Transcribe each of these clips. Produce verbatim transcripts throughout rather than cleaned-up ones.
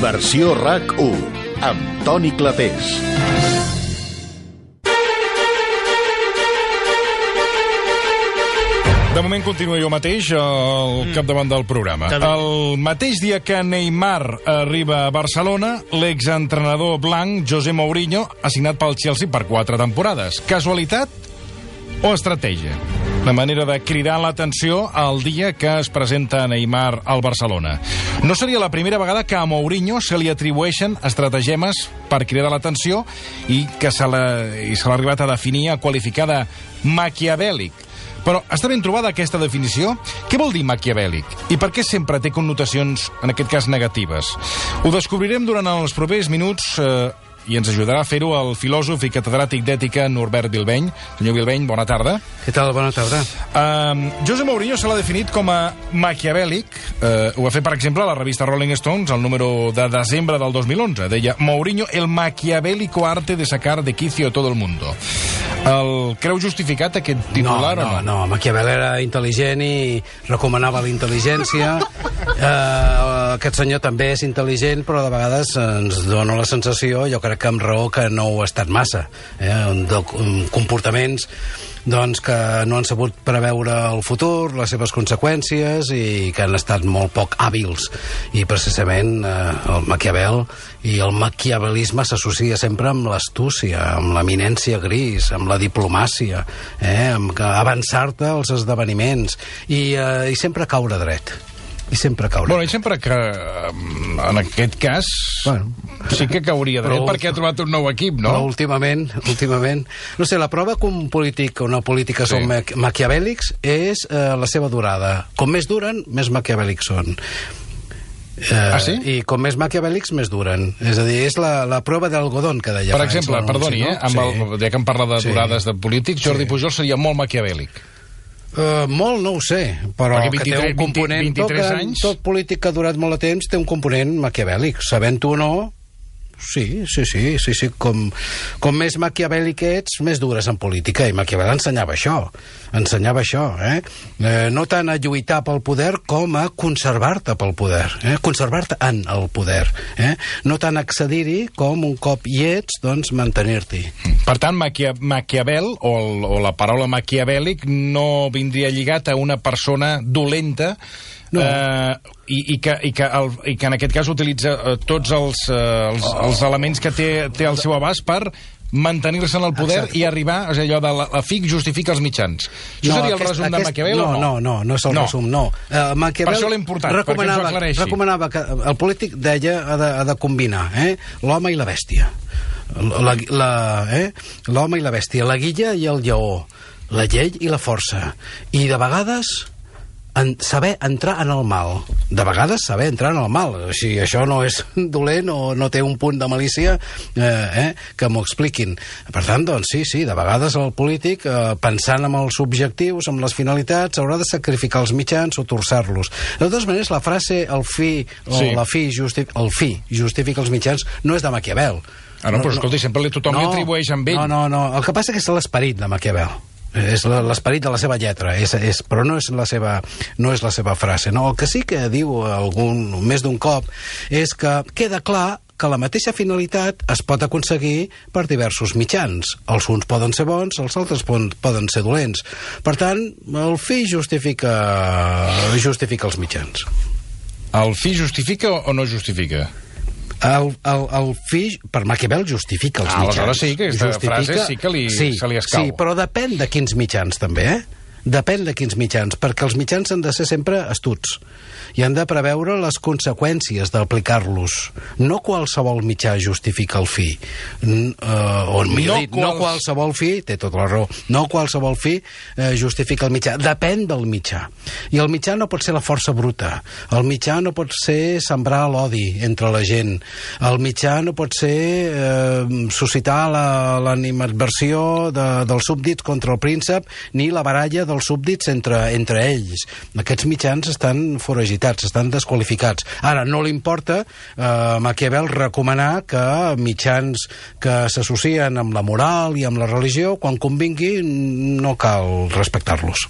Versió RAC u, amb Toni Clapés. De moment continua jo mateix al capdavant del programa. El mateix dia que Neymar arriba a Barcelona, l'exentrenador blanc José Mourinho ha signat pel Chelsea per quatre temporades. Casualitat o estratègia? La manera de cridar l'atenció al dia que es presenta Neymar al Barcelona. No seria la primera vegada que a Mourinho se li atribueixen estratagemes per cridar l'atenció i que se l'ha i se l'ha arribat a definir, a qualificar de maquiavèlic. Però està ben trobada aquesta definició? Què vol dir maquiavèlic? I per què sempre té connotacions, en aquest cas, negatives? Ho descobrirem durant els propers minuts eh, i ens ajudarà a fer-ho el filòsof i catedràtic d'ètica Norbert Bilbeny. Senyor Bilbeny, bona tarda. Què tal? Bona tarda. Uh, José Mourinho se l'ha definit com a maquiavèlic. Uh, ho va fer, per exemple, la revista Rolling Stones, el número de desembre del dos mil onze. Deia, Mourinho, el maquiavélico arte de sacar de quicio todo el mundo. El creu justificat, aquest titular, no, o no? No, no, Maquiavel era intel·ligent i recomanava la intel·ligència. uh, aquest senyor també és intel·ligent, però de vegades ens dona la sensació, jo crec que amb raó, que no ho ha estat massa. Eh? De, comportaments doncs, que no han sabut preveure el futur, les seves conseqüències, i que han estat molt poc hàbils. I precisament eh, el Maquiavel i el maquiavelisme s'associa sempre amb l'astúcia, amb l'eminència gris, amb la diplomàcia, eh, amb avançar-te als esdeveniments i, eh, i sempre caure dret. I sempre caure. Bueno, i sempre que, en aquest cas, bueno, sí que cauria dret, perquè ha trobat un nou equip, no? Però últimament, últimament... No sé, la prova que un polític o una política sí. són maquiavèlics és eh, la seva durada. Com més duren, més maquiavèlics són. Eh, ah, sí? I com més maquiavèlics, més duren. És a dir, és la, la prova d'algodón que deia. Per exemple, perdoni, eh, amb el, ja que em parla de durades sí. de polítics, Jordi sí. Pujol seria molt maquiavèlic. Uh, molt no ho sé, però vint-i-tres, que té un component... vint, vint-i-tres tot, anys? Tot polític que ha durat molt de temps té un component maquiavèlic. Sabent-ho o no, sí, sí, sí, sí, sí. Com, com més maquiavèlic ets, més dures en política. I Maquiavel ensenyava això. Ensenyava això, eh? eh no tant a lluitar pel poder com a conservar-te pel poder. Eh? Conservar-te en el poder. Eh? No tant accedir-hi com un cop hi ets, doncs mantenir-t'hi. Per tant, Maquia Maquiavel, o, el, o la paraula maquiavèlic, no vindria lligat a una persona dolenta, no. eh, i, i, que, i, que el, i que en aquest cas utilitza eh, tots els, eh, els, els elements que té, té al seu abast per mantenir-se en el poder. Exacte. I arribar, és allò de la, la F I C justifica els mitjans. Això no, seria aquest, el resum aquest, de Maquiavel no, o no? No, no, no és el no. resum, no. Uh, Maquiavel per això l'he importat, perquè ens ho aclareixi. Recomanava que el polític deia ha de, ha de combinar eh, l'home i la bèstia. La, la, eh, l'home i la bèstia, la guilla i el lleó, la llei i la força. I de vegades... En saber entrar en el mal. De vegades saber entrar en el mal. Si això no és dolent o no té un punt de malícia, eh, eh, que m'ho expliquin. Per tant, doncs sí, sí, de vegades el polític, eh, pensant en els objectius, en les finalitats, haurà de sacrificar els mitjans o torçar-los. De totes maneres, la frase el fi o sí. la fi, justi el fi justifica els mitjans no és de Maquiavel. Ah, no, però escolti, sempre tothom no, li atribueix amb ell. No, no, no. El que passa és que és l'esperit de Maquiavel. És l'esperit de la seva lletra, és, és, però no és, la seva, no és la seva frase. No? El que sí que diu algun, més d'un cop és que queda clar que la mateixa finalitat es pot aconseguir per diversos mitjans. Els uns poden ser bons, els altres poden ser dolents. Per tant, el fi justifica, justifica els mitjans. El fi justifica o no justifica? El, el, el fi, per Maquiavel, justifica els ah, mitjans. Aleshores sí que aquesta justifica... frase sí que li, sí, se li escau. Sí, però depèn de quins mitjans, també, eh? Depèn de quins mitjans, perquè els mitjans han de ser sempre astuts i han de preveure les conseqüències d'aplicar-los. No qualsevol mitjà justifica el fi. N uh, o millor no dit, quals... no qualsevol fi, té tota la raó, no qualsevol fi uh, justifica el mitjà. Depèn del mitjà. I el mitjà no pot ser la força bruta. El mitjà no pot ser sembrar l'odi entre la gent. El mitjà no pot ser uh, suscitar l'animadversió la, de, dels súbdits contra el príncep, ni la baralla dels súbdits entre, entre ells. Aquests mitjans estan foragitats, estan desqualificats. Ara, no li importa eh, Maquiavel recomanar que mitjans que s'associen amb la moral i amb la religió, quan convingui, no cal respectar-los.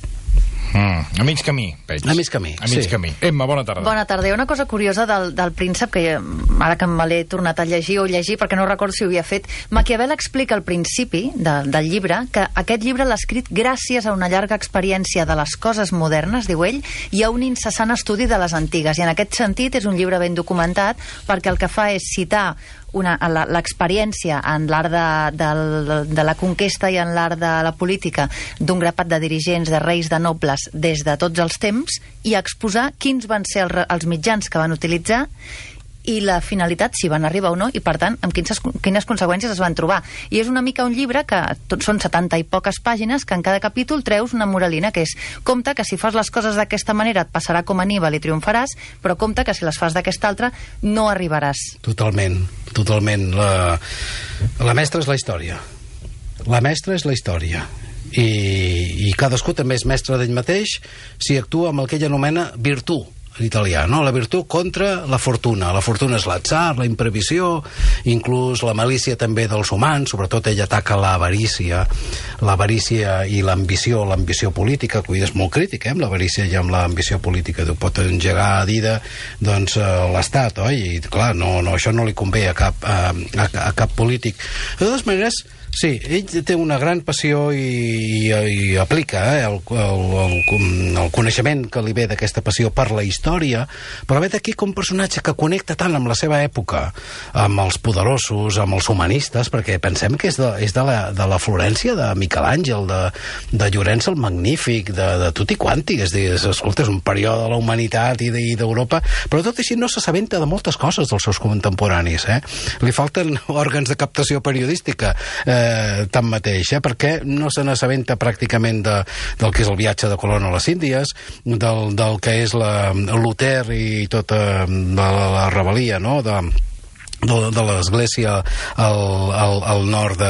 Mm, a mig camí, veig. A mig camí, A mig sí. camí. Emma, bona tarda. Bona tarda. Hi ha una cosa curiosa del, del príncep, que ara que me l'he tornat a llegir o llegir, perquè no recordo si ho havia fet, Maquiavel explica al principi de, del llibre que aquest llibre l'ha escrit gràcies a una llarga experiència de les coses modernes, diu ell, i a un incessant estudi de les antigues. I en aquest sentit és un llibre ben documentat, perquè el que fa és citar una, la, l'experiència en l'art de, de, de la conquesta i en l'art de la política d'un grapat de dirigents, de reis, de nobles, des de tots els temps, i exposar quins van ser els, els mitjans que van utilitzar i la finalitat, si van arribar o no, i per tant, amb quines, quines conseqüències es van trobar. I és una mica un llibre que tot són setanta i poques pàgines, que en cada capítol treus una moralina, que és: compte que si fas les coses d'aquesta manera et passarà com a Aníbal i triomfaràs, però compte que si les fas d'aquesta altra no arribaràs. Totalment, totalment. La, la mestra és la història. La mestra és la història. I, i cadascú també és mestre d'ell mateix si actua amb el que ell anomena virtut, en italià, no? La virtut contra la fortuna. La fortuna és l'atzar, la imprevisió, inclús la malícia també dels humans. Sobretot ell ataca l'avarícia, l'avarícia i l'ambició, l'ambició política, que és molt crític, eh, amb l'avarícia i amb l'ambició política. Tu pot engegar a dida, doncs, l'estat, oi? I, clar, no, no, això no li convé a cap, a, a, a cap polític. De totes maneres, sí, ell té una gran passió i, i, i aplica eh, el, el, el, el coneixement que li ve d'aquesta passió per la història, però ve d'aquí com un personatge que connecta tant amb la seva època, amb els poderosos, amb els humanistes, perquè pensem que és de, és de, la, de la Florència de Miquel Àngel, de, de Llorenç el Magnífic, de, de tutti quanti. És dir, escolta, és un període de la humanitat i d'Europa, però tot així no s'assabenta de moltes coses dels seus contemporanis. Eh? Li falten òrgans de captació periodística, eh, tanmateix, eh? Perquè no se n'assabenta pràcticament de, del que és el viatge de Colón a les Índies, del, del que és la, Luter i tota la, la rebel·lia, no?, de de, de l'Església al, al, al nord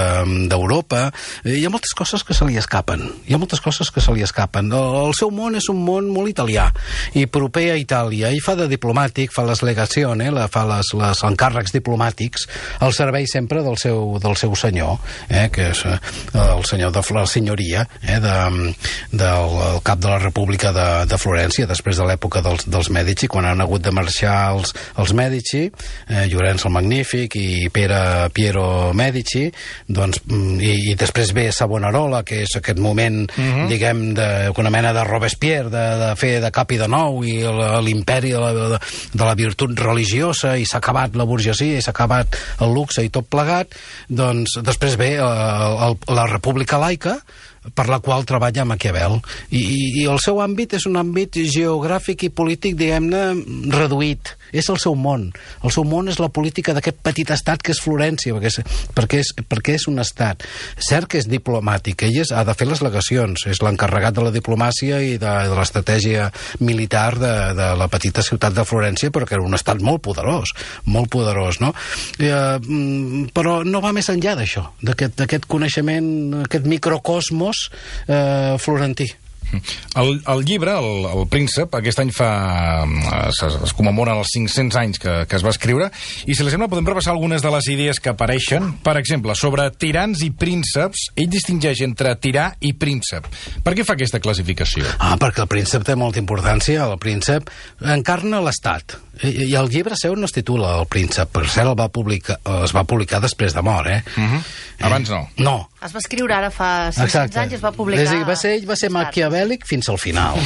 d'Europa. De, hi ha moltes coses que se li escapen. Hi ha moltes coses que se li escapen. El, el seu món és un món molt italià i proper a Itàlia. I fa de diplomàtic, fa les legacions, eh, fa les, les encàrrecs diplomàtics al servei sempre del seu, del seu senyor, eh, que és el senyor de la senyoria, eh, de, del cap de la República de, de Florència, després de l'època dels, dels Mèdici, quan han hagut de marxar els, els Mèdici, eh, Llorenç el Magnífic i Pere, Piero Medici, doncs, i, i després ve Savonarola, que és aquest moment, uh-huh. diguem, de, una mena de Robespierre, de, de fer de cap i de nou, i l'imperi de, de, de la virtut religiosa, i s'ha acabat la burgesia, i s'ha acabat el luxe i tot plegat. Doncs després ve el, el, la República Laica, per la qual treballa Maquiavel. I, i, i el seu àmbit és un àmbit geogràfic i polític, diguem-ne, reduït. És el seu món. El seu món és la política d'aquest petit estat que és Florència, perquè és, perquè és, perquè és un estat. Cert que és diplomàtic, ell és, ha de fer les legacions, és l'encarregat de la diplomàcia i de, de l'estratègia militar de, de la petita ciutat de Florència, però que era un estat molt poderós, molt poderós, no? Eh, però no va més enllà d'això, d'aquest coneixement, aquest microcosmos eh, florentí. El, el llibre, el, el Príncep, aquest any fa es, es commemoren els cinc-cents anys que, que es va escriure, i si li sembla podem repassar algunes de les idees que apareixen. Per exemple, sobre tirans i prínceps, ell distingeix entre tirà i príncep. Per què fa aquesta classificació? Ah, perquè el príncep té molta importància. El príncep encarna l'estat. I, i el llibre seu no es titula El Príncep, per cert el va publicar, es va publicar després de mort, eh? Uh-huh. Abans no. No. Es va escriure ara fa cinc-cents anys i es va publicar... És a dir, va ser, ell va ser maquiavèlic fins al final.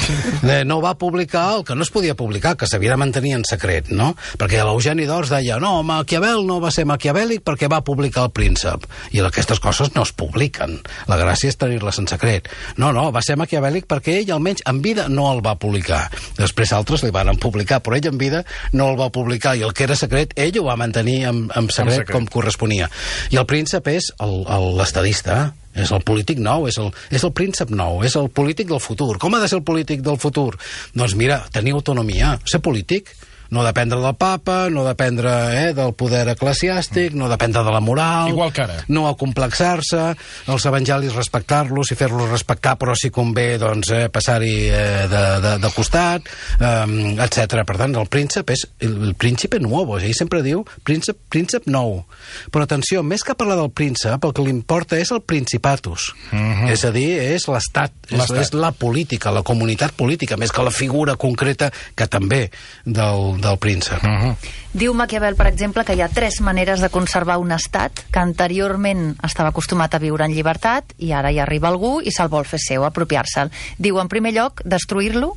No va publicar el que no es podia publicar, que s'havia de mantenir en secret, no? Perquè l'Eugeni d'Ors deia, no, Maquiavel no va ser maquiavèlic perquè va publicar El Príncep. I aquestes coses no es publiquen. La gràcia és tenir-les en secret. No, no, va ser maquiavèlic perquè ell, almenys en vida, no el va publicar. Després altres li van publicar, però ell en vida no el va publicar, i el que era secret ell ho va mantenir en, en secret, secret com corresponia. I el príncep és l'estadista, és el polític nou, és el, és el príncep nou, és el polític del futur. Com ha de ser el polític del futur? Doncs mira, tenir autonomia, ser polític, No dependre del papa, no dependre eh, del poder eclesiàstic, no dependre de la moral... Igual que ara. No acomplexar-se, els evangelis respectar-los i fer-los respectar, però si convé, doncs, eh, passar-hi eh, de, de, de costat, eh, etcètera. Per tant, el príncep és el, el príncipe nuevo, ell sempre diu príncep, príncep nou. Però atenció, més que parlar del príncep, el que li importa és el principatus. Uh-huh. És a dir, és l'estat, és, és la política, la comunitat política, més que la figura concreta, que també del del príncep. Uh-huh. Diu Maquiavel, per exemple, que hi ha tres maneres de conservar un estat que anteriorment estava acostumat a viure en llibertat i ara hi arriba algú i se'l vol fer seu, apropiar-se'l. Diu, en primer lloc, destruir-lo,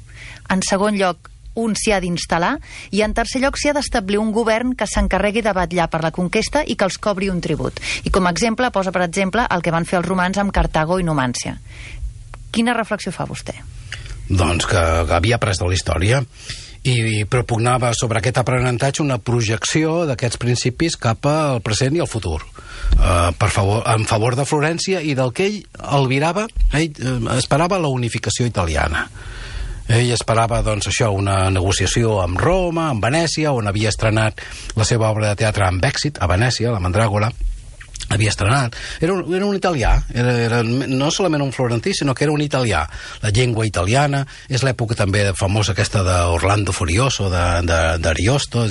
en segon lloc, un s'hi ha d'instal·lar i en tercer lloc s'hi ha d'establir un govern que s'encarregui de vetllar per la conquesta i que els cobri un tribut. I com a exemple posa, per exemple, el que van fer els romans amb Cartago i Numància. Quina reflexió fa vostè? Doncs que havia après de la història i propugnava sobre aquest aprenentatge una projecció d'aquests principis cap al present i al futur, uh, per favor, en favor de Florència i del que ell albirava, ell uh, esperava la unificació italiana. Ell esperava, doncs, això, una negociació amb Roma, amb Venècia, on havia estrenat la seva obra de teatre amb èxit, a Venècia, la Mandràgora, havia estrenat. Era un, era un italià, era, era no solament un florentí, sinó que era un italià. La llengua italiana, és l'època també famosa aquesta d'Orlando Furioso, d'Ariosto,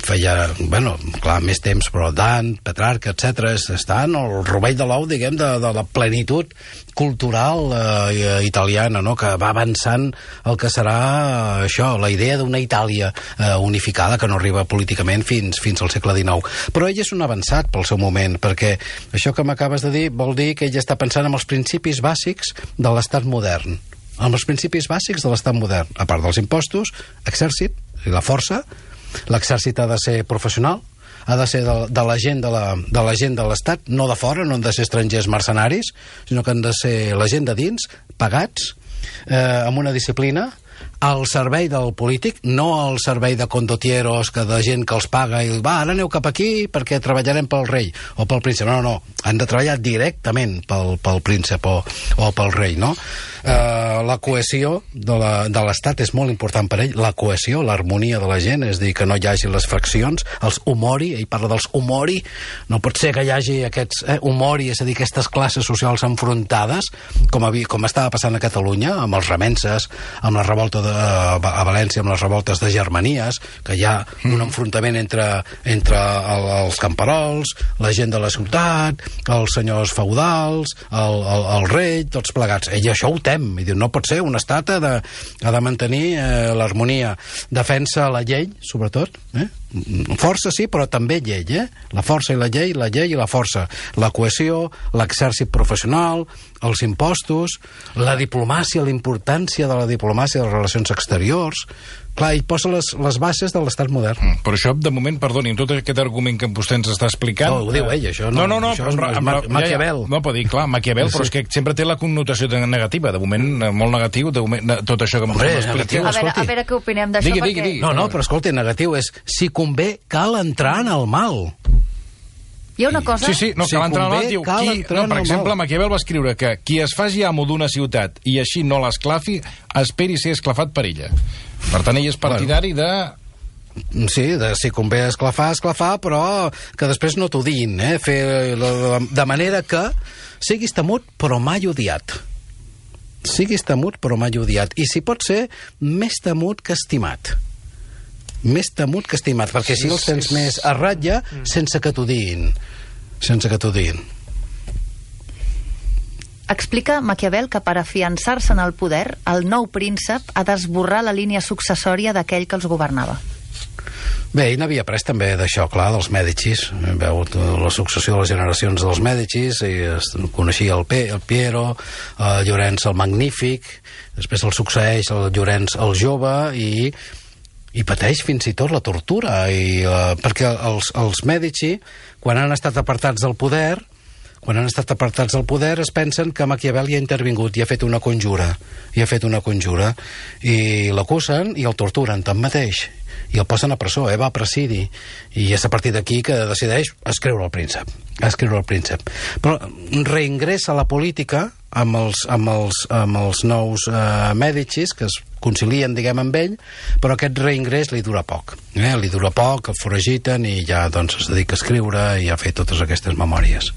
feia, bueno, clar, més temps, però Dan, Petrarca, etcètera, està en el rovell de l'ou, diguem, de, de la plenitud cultural eh, italiana, no?, que va avançant el que serà eh, això, la idea d'una Itàlia eh, unificada, que no arriba políticament fins, fins al segle dinou. Però ell és un avançat pel seu moment, perquè això que m'acabes de dir vol dir que ell està pensant en els principis bàsics de l'estat modern. En els principis bàsics de l'estat modern, a part dels impostos, exèrcit i la força. L'exèrcit ha de ser professional, ha de ser de, de la gent de la, de la gent de l'Estat, no de fora, no han de ser estrangers mercenaris, sinó que han de ser la gent de dins, pagats, eh, amb una disciplina, al servei del polític, no al servei de condotieros, que de gent que els paga i va, ara aneu cap aquí perquè treballarem pel rei o pel príncep. No, no, han de treballar directament pel, pel príncep o, o pel rei, no? Eh, la cohesió de l'Estat és molt important per ell, la cohesió, l'harmonia de la gent, és dir, que no hi hagi les fraccions, els humori, ell parla dels humori, no pot ser que hi hagi aquests eh, humori, és a dir, aquestes classes socials enfrontades, com, havia, com estava passant a Catalunya, amb els remenses, amb la revolta de, a València, amb les revoltes de Germanies, que hi ha un enfrontament entre, entre el, els camperols, la gent de la ciutat, els senyors feudals, el, el, el rei, tots plegats. Ell això ho tem, i diu, no pot ser, un estat ha de, ha de mantenir eh, l'harmonia. Defensa la llei, sobretot, eh? Força sí, però també llei, eh? La força i la llei, la llei i la força. La cohesió, l'exèrcit professional, els impostos, la diplomàcia, la importància de la diplomàcia de les relacions exteriors. Clar, ell posa les, les bases de l'estat modern. Mm, però això, de moment, perdoni, amb tot aquest argument que vostè ens està explicant... No, ho diu ell, això no. No, no, no, això però, és però, Ma ja, Maquiavel. Ja, no, pot dir, clar, Maquiavel, sí. Però és que sempre té la connotació negativa. De moment, molt negatiu, de moment, de, tot això que Hombre, vostè m'explica. A veure, a veure què opinem d'això, digui, perquè... digui, digui. No, no, però escolta, negatiu és, si convé, cal entrar en el mal. Hi ha una cosa... Sí, sí, no, si cal entrar en el mal, convé, diu, cal qui, entrar no, per en el exemple, mal. Maquiavel va escriure que qui es faci amo d'una ciutat i així no l'esclafi, esperi ser esclafat per ella. Per tant, ell és partidari de... Sí, de, si convé esclafar, esclafar, però que després no t'ho diguin, eh? Fer, de manera que siguis temut però mai odiat. Siguis temut però mai odiat. I si pot ser, més temut que estimat. Més temut que estimat, perquè si els tens més a ratlla sense que t'ho diguin. Sense que t'ho diguin. Explica Maquiavel que per afiançar-se en el poder, el nou príncep ha d'esborrar la línia successòria d'aquell que els governava. Bé, ell n'havia après també d'això, clar, dels Mèdicis. Veu la successió de les generacions dels Mèdicis, i es coneixia el, P, el Piero, el Llorenç el Magnífic, després el succeeix el Llorenç el Jove, i, i pateix fins i tot la tortura, i, uh, perquè els, els Mèdici, quan han estat apartats del poder, quan han estat apartats del poder, es pensen que Maquiavel hi ha intervingut i ha fet una conjura, i ha fet una conjura, i l'acusen i el torturen tanmateix. i el posen a presó, eh, va a presidi, i és a partir d'aquí que decideix escriure el príncep, escriure el príncep. Però reingressa a la política amb els, amb els, amb els nous eh, Mèdicis, que es concilien, diguem, amb ell, però aquest reingrés li dura poc. Eh? Li dura poc, el foragiten i ja doncs, es dedica a escriure i a fer totes aquestes memòries.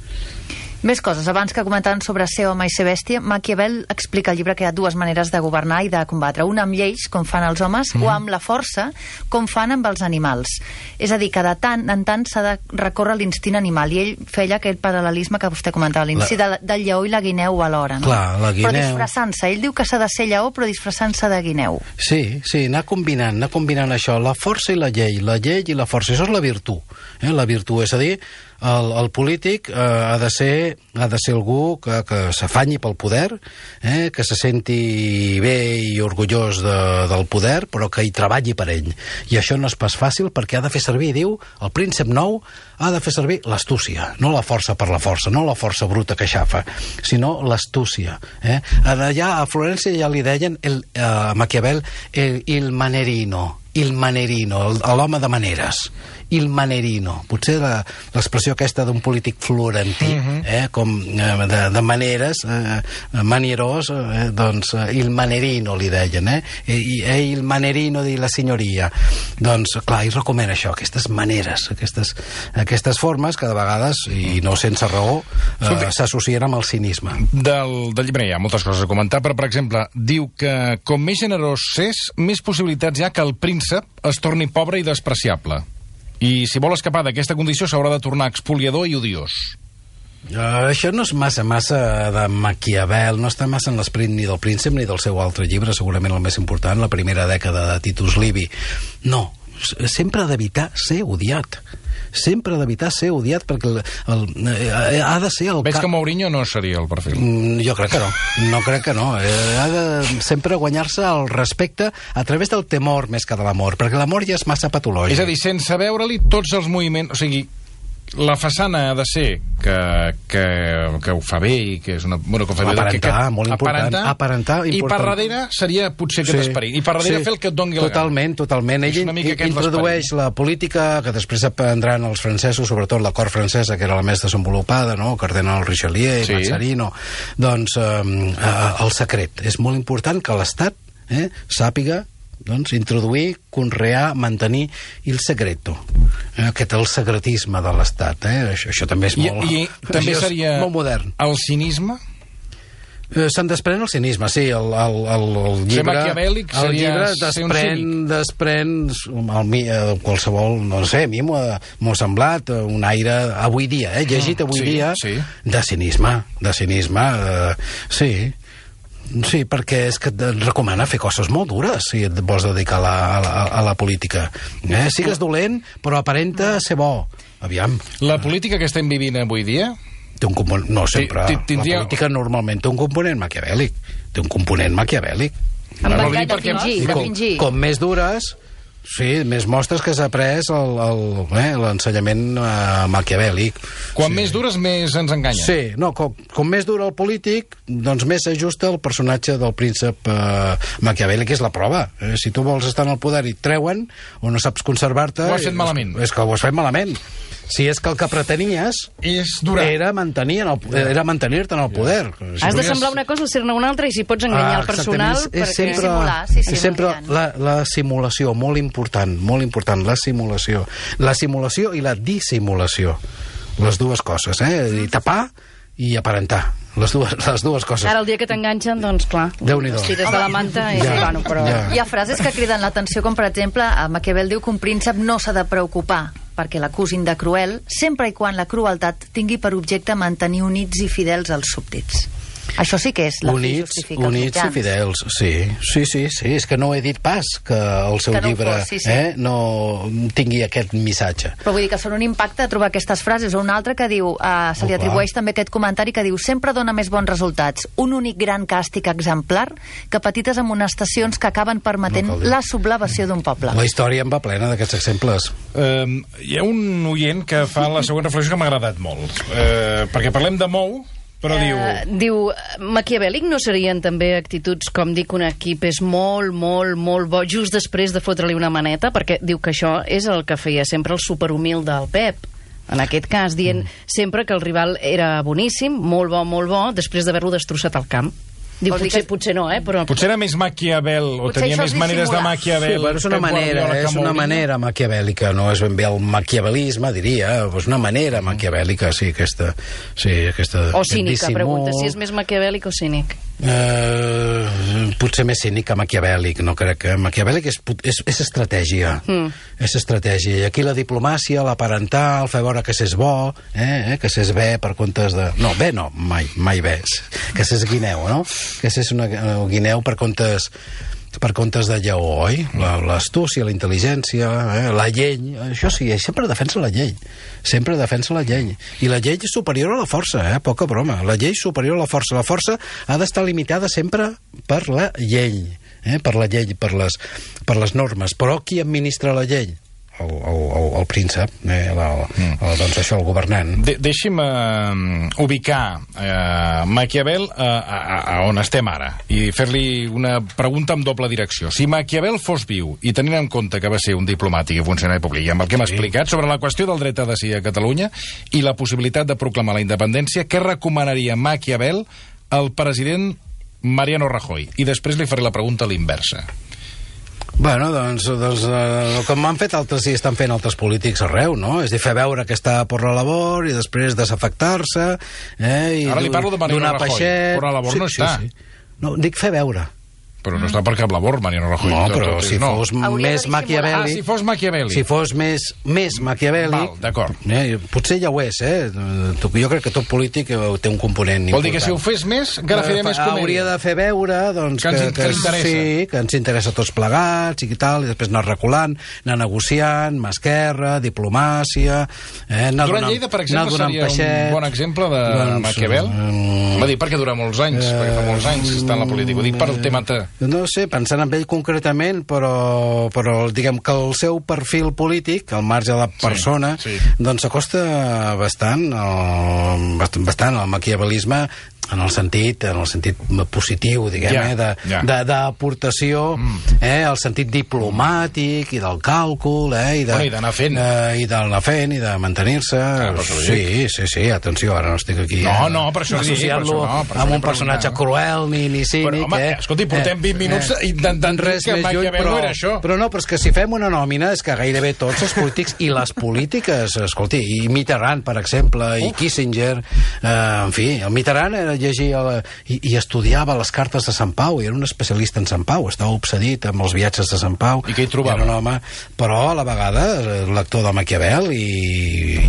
Més coses. Abans que comentaven sobre ser home i ser bèstia, Maquiavel explica al llibre que hi ha dues maneres de governar i de combatre. Una amb lleis, com fan els homes, mm. o amb la força, com fan amb els animals. És a dir, que de tant en tant s'ha de recórrer l'instint animal. I ell feia aquest paral·lelisme que vostè comentava a l'inici, la... del lleó i la guineu alhora. No? Clar, la guineu... Però disfressant-se. Ell diu que s'ha de ser lleó, però disfressant-se de guineu. Sí, sí, anar combinant, anar combinant això, la força i la llei, la llei i la força. Això és la virtut. Eh? La virtut, és a dir, el, el polític eh, ha de ser ha de ser algú que, que s'afanyi pel poder, eh, que se senti bé i orgullós de, del poder, però que hi treballi per ell. I això no és pas fàcil perquè ha de fer servir, diu, el príncep nou ha de fer servir l'astúcia, no la força per la força, no la força bruta que xafa, sinó l'astúcia. Eh? Allà a Florència ja li deien el, eh, Maquiavel el, il manerino, il manerino, l'home de maneres. Il manerino, potser l'expressió aquesta d'un polític florentí, uh-huh. eh, com eh, de, de maneres, eh, manierós, eh, doncs eh, il manerino li deien, eh? I, eh, il manerino di la signoria. Doncs, clar, ell recomana això, aquestes maneres, aquestes, aquestes formes que de vegades, i no sense raó, eh, s'associen amb el cinisme. Del, del llibre hi ha moltes coses a comentar, però, per exemple, diu que com més generós és, més possibilitats hi ha que el príncep es torni pobre i despreciable. I si vol escapar d'aquesta condició s'haurà de tornar expoliador i odiós. Uh, això no és massa, massa de Maquiavel, no està massa en l'esperit ni del príncep ni del seu altre llibre, segurament el més important, la primera dècada de Titus Livi. No, sempre ha d'evitar ser odiat. Sempre ha d'evitar ser odiat perquè el, el, eh, ha de ser el... Veig que Mourinho no seria el perfil. Mm, jo crec que no, no crec que no. Eh, ha de sempre guanyar-se el respecte a través del temor més que de l'amor, perquè l'amor ja és massa patològic. És a dir, sense veure-li tots els moviments... O sigui, la façana ha de ser que, que, que ho fa bé i que és una... Bueno, que ho fa bé, aparentar, que, que, molt important. Aparentar, aparentar important. I per darrere seria potser aquest sí, esperit. I per darrere sí, fer el que et doni la totalment, gana. Totalment, És totalment. Ell introdueix la política que després aprendran els francesos, sobretot la cort francesa, que era la més desenvolupada, no? El cardenal Richelieu, sí. Mazzarino. Doncs eh, eh, el secret. És molt important que l'Estat eh, sàpiga doncs, introduir, conrear, mantenir el secreto. Eh, aquest el secretisme de l'Estat. Eh? Això, això també és molt... I, i també seria molt modern. El cinisme? Eh, se'n desprèn el cinisme, sí. El, el, el, el llibre, ser maquiavèlic el llibre seria desprèn, desprèn el, el, qualsevol, no sé, a mi m'ho ha semblat un aire avui dia, eh, llegit avui sí, dia, sí. de cinisme, de cinisme, eh, sí. Sí, perquè és que et recomana fer coses molt dures si et vols dedicar a la, a la, a la política. Eh? Sigues dolent, però aparenta ser bo. Aviam. La política que estem vivint avui dia... Té un component... No, sempre. Tindria... La política normalment té un component maquiavèlic. Té un component maquiavèlic. Amb no, de perquè... fingir, de com, fingir. Com més dures... Sí, més mostres que s'ha après l'ensenyament eh, maquiavèlic. Quan sí. més dures, més ens enganya. Sí, no, com, com més dura el polític, doncs més s'ajusta el personatge del príncep eh, maquiavèlic, que és la prova. Eh, si tu vols estar en el poder i et treuen, o no saps conservar-te... Ho has fet malament. És, és que ho has fet malament. Si és que el que pretenies és durar. Era mantenir en el, era mantenir-te en el poder. Si has de semblar una cosa, ser-ne una altra, i si pots enganyar ah, el personal... És, és perquè... sempre, simular, sí, sí, és sempre la, la simulació, molt important, molt important, la simulació. La simulació i la dissimulació. Les dues coses, eh? I tapar i aparentar. Les dues, les dues coses. Ara, el dia que t'enganxen, doncs, clar, Déu-n'hi-do. els tires de la manta i... Ja, bueno, però... ja. Hi ha frases que criden l'atenció, com per exemple, Maquiavel diu que un príncep no s'ha de preocupar perquè l'acusin de cruel, sempre i quan la crueltat tingui per objecte mantenir units i fidels els súbdits. Això sí que és la fi justifica els mitjans. Units i fidels, sí. Sí, sí, sí. És que no he dit pas que el seu que no llibre fos, sí, sí. Eh, no tingui aquest missatge. Però vull dir que són un impacte trobar aquestes frases. O un altre que diu, eh, se li Oh, atribueix també aquest comentari que diu: sempre dona més bons resultats un únic gran càstig exemplar que petites amonestacions que acaben permetent No cal dir. la sublevació d'un poble. La història en va plena d'aquests exemples. Um, hi ha un oient que fa la següent reflexió que m'ha agradat molt. Uh, perquè parlem de Mou, Però diu... Uh, diu, maquiavèlic no serien també actituds com dir que un equip és molt, molt, molt bo just després de fotre-li una maneta? Perquè diu que això és el que feia sempre el superhumil del Pep. En aquest cas, dient mm. sempre que el rival era boníssim, molt bo, molt bo, després d'haver-lo destrossat al camp. Diu, potser, que... potser no, eh? Però... Potser era més Maquiavel, o potser tenia més maneres de Maquiavel. Sí, però és una manera, és una manera maquiavèlica, no és ben bé el maquiavelisme, diria, és una manera maquiavèlica, sí, aquesta... Sí, aquesta o cínica, pregunta, si és més maquiavèlic o cínic. Uh, potser més cínic que maquiavèlic, no crec que... Maquiavèlic és, és, és estratègia, mm. és estratègia, i aquí la diplomàcia, l'aparentar, el fer veure que s'és bo, eh, eh, que s'és bé per comptes de... No, bé no, mai, mai bé, que s'és guineu, no? Que és una guineu per comptes per comptes de lleó, oi? L'astúcia, la intel·ligència, eh? La llei, això sí, sempre defensa la llei, sempre defensa la llei, i la llei és superior a la força, eh? Poca broma, la llei és superior a la força, la força ha d'estar limitada sempre per la llei, eh? Per la llei, per les, per les normes, però qui administra la llei? El, el, el, el príncep, eh, el, el, el, doncs això, el governant. De, deixi'm uh, ubicar uh, Maquiavel uh, a, a, a on estem ara i fer-li una pregunta amb doble direcció. Si Maquiavel fos viu i tenint en compte que va ser un diplomàtic i funcionari públic, i amb el que m'ha sí. explicat sobre la qüestió del dret a decidir a Catalunya i la possibilitat de proclamar la independència, què recomanaria Maquiavel al president Mariano Rajoy? I després li faré la pregunta a l'inversa. Bueno, doncs, doncs eh, com m'han fet altres i estan fent altres polítics arreu, no? És dir, fer veure que està per la labor i després desafectar-se, eh? I ara li parlo de Mariano Rajoy, peixet. però la labor sí, no està. Sí, sí. No, dic fer veure. Però no està per cap labor, Mariano Rajoy. No, però si no. fos Hauria més maquiavèlic... Ah, si fos maquiavèlic. Si fos més, més maquiavèlic... Val, d'acord. Eh, potser ja ho és, eh? Jo crec que tot polític té un component important. Vol dir que si ho fes més, encara faria més comèdia. Hauria de fer veure, doncs... Que, que, ens, que, que interessa. Sí, que ens interessa tots plegats i tal, i després anar reculant, anar negociant, mà esquerra, diplomàcia... Eh, Durant Lleida, per exemple, seria peixet, un bon exemple de doncs, Maquiavel? Um, Va dir, perquè dura molts anys, uh, perquè fa molts anys que està en la política. Ho dic per el tema... No sé, pensant en ell concretament, però, però diguem que el seu perfil polític, al marge de la persona, sí, sí. doncs s'acosta bastant, al, bastant al maquiavelisme en el sentit, en el sentit positiu, diguem, yeah, eh, de, yeah. de, d'aportació, mm. eh, el sentit diplomàtic i del càlcul, eh, i de, bueno, i d'anar fent. Eh, i d'anar fent, i de mantenir-se. Ah, sí, sí, sí, atenció, ara no estic aquí... No, no, per això associant-lo no, amb un personatge cruel ni, ni cínic, però, home, eh? Escolti, portem vint minuts eh, intentant res que Maquiavel no era això. Però no, però és que si fem una nòmina és que gairebé tots els polítics i les polítiques, escolti, i Mitterrand, per exemple, i Kissinger, eh, en fi, el Mitterrand era llegia la, i, i estudiava les cartes de Sant Pau, i era un especialista en Sant Pau, estava obsedit amb els viatges de Sant Pau. I què hi trobava? Era un home, però a la vegada lector de Maquiavel i,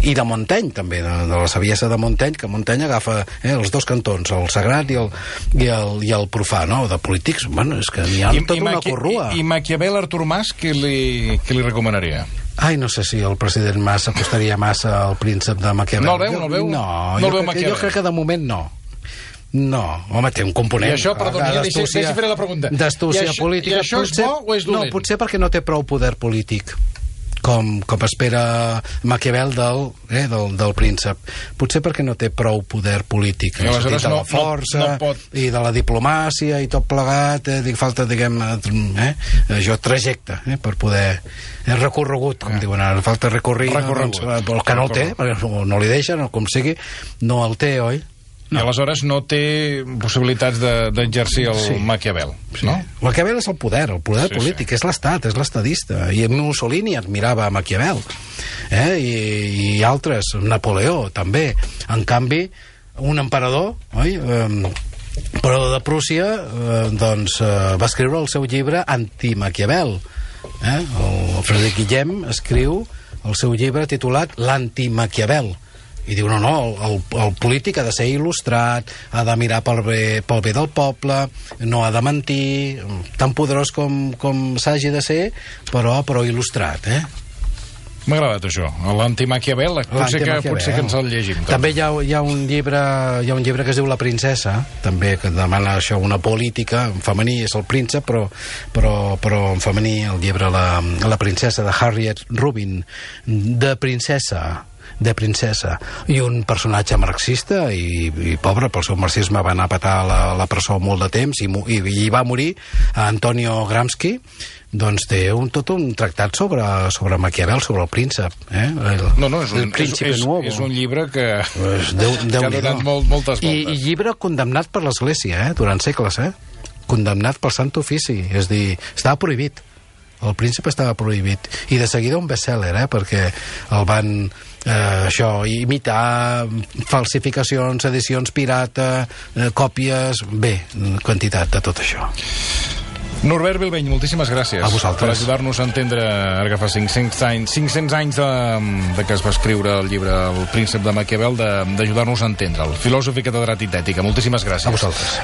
i de Montaigne, també, de, de la saviesa de Montaigne, que Montaigne agafa eh, els dos cantons, el sagrat i el, i el, i el profà, no? De polítics, bueno, és que n'hi ha I, tota i una corrua. I, i Maquiavel, Artur Mas, què li, què li recomanaria? Ai, no sé si el president Mas acostaria massa al príncep de Maquiavel. No el veu, no el veu? No, no jo, el veu crec que, jo crec que de moment no. No, home, té un component. I això, perdoni, ja deixi, deixi fer la pregunta. D'astúcia política. I això potser, és bo o és dolent? No, potser perquè no té prou poder polític. Com, com espera Maquiavel del, eh, del, del príncep. Potser perquè no té prou poder polític. I aleshores de la no, força no, no pot... i de la diplomàcia i tot plegat, eh, falta, diguem, eh, això, trajecte, eh, per poder... És recorregut, com ah. diuen ara, falta recorrir, recorregut. No, el que no el té, perquè no li deixen, o com sigui, no el té, oi? No. I aleshores no té possibilitats d'exercir de, el sí. Maquiavel, sí. no? Maquiavel és el poder, el poder sí, polític, sí. és l'estat, és l'estadista. I Mussolini admirava Maquiavel. Eh? I, I altres, Napoleó, també. En canvi, un emperador, oi? Um, però de Prússia, eh, doncs, eh, va escriure el seu llibre Anti-Maquiavel. Eh? El Frederic Guillem escriu el seu llibre titulat L'Anti-Maquiavel. I diu, no, no, el, el polític ha de ser il·lustrat, ha de mirar pel bé, pel bé del poble, no ha de mentir, tan poderós com, com s'hagi de ser, però, però il·lustrat, eh? M'ha agradat això, l'Anti-Maquiavel, potser, que, potser que ens el llegim. Tot. També hi ha, hi, ha un llibre, hi ha un llibre que es diu La princesa, també, que demana això, una política, en femení és el príncep, però, però, però en femení el llibre La, la princesa, de Harriet Rubin, de princesa, de princesa. I un personatge marxista, i, i pobre, pel seu marxisme va anar a petar la, la presó molt de temps, i, i, i va morir, Antonio Gramsci, doncs té un, tot un tractat sobre, sobre Maquiavel, sobre el príncep. Eh? El, no, no, és un, és, és, és un llibre que, pues Déu, Déu que ha donat molt, moltes voltes. I, I llibre condemnat per l'Església, eh? Durant segles, eh? Condemnat pel Sant Ofici, és dir, estava prohibit. El príncep estava prohibit. I de seguida un best-seller, eh? Perquè el van eh, això, imitar, falsificacions, edicions pirata, eh, còpies, bé, quantitat de tot això. Norbert Bilbeny, moltíssimes gràcies a vosaltres per ajudar-nos a entendre, ara que fa cinc-cents anys, cinc-cents anys de, de que es va escriure el llibre El príncep de Maquiavel, d'ajudar-nos a entendre'l. Filòsof i catedràtic d'ètica, moltíssimes gràcies. A vosaltres.